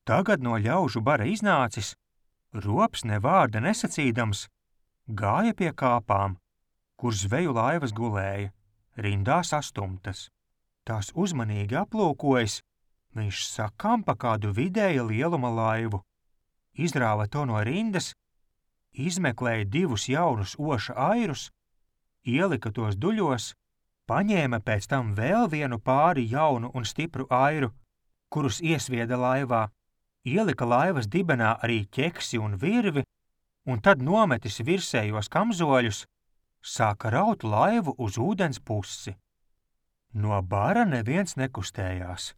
Tagad no ļaužu bara iznācis, Rops ne vārda nesacīdams gāja pie kāpām, kur zveju laivas gulēja, rindās astumtas. Tās uzmanīgi aplūkojis, viņš sakampa kādu vidēja lieluma laivu, izrāva to no rindas, izmeklēja 2 jaunus oša airus, ielika tos duļos, paņēma pēc tam vēl vienu pāri jaunu un stipru airu, kurus iesvieda laivā, ielika laivas dibenā arī ķeksi un virvi, un tad nometis virsējos kamzoļus, sāka raut laivu uz ūdens pusi. No bara neviens nekustējās.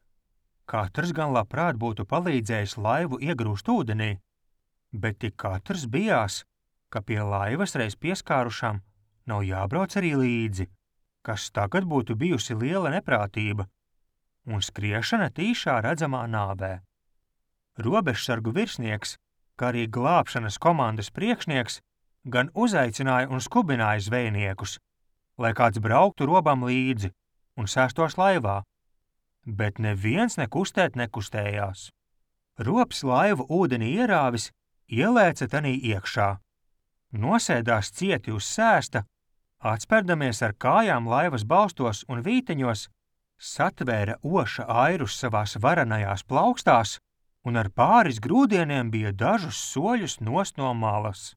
Katrs gan labprāt būtu palīdzējis laivu iegrūst ūdenī, bet tik katrs bijās, ka pie laivas reiz pieskārušam nav jābrauc arī līdzi, kas tagad būtu bijusi liela neprātība un skriešana tīšā redzamā nāvē. Robežsargu virsnieks, kā arī glābšanas komandas priekšnieks, gan uzaicināja un skubināja zvejniekus, lai kāds brauktu robam līdzi un sēstos laivā, bet neviens nekustēt nekustējās. Rops laivu ūdenī ierāvis, ielēca tanī iekšā, nosēdās cieti uz sēsta, atspērdamies ar kājām laivas balstos un vīteņos, satvēra oša airus savās varanajās plaukstās un ar pāris grūdieniem bija dažus soļus nost no malas.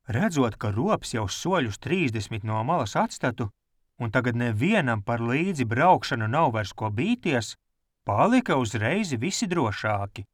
Redzot, ka Rops jau soļus 30 no malas atstatu, un tagad nevienam par līdzi braukšanu nav vairs ko bīties, palika uzreiz visi drošāki.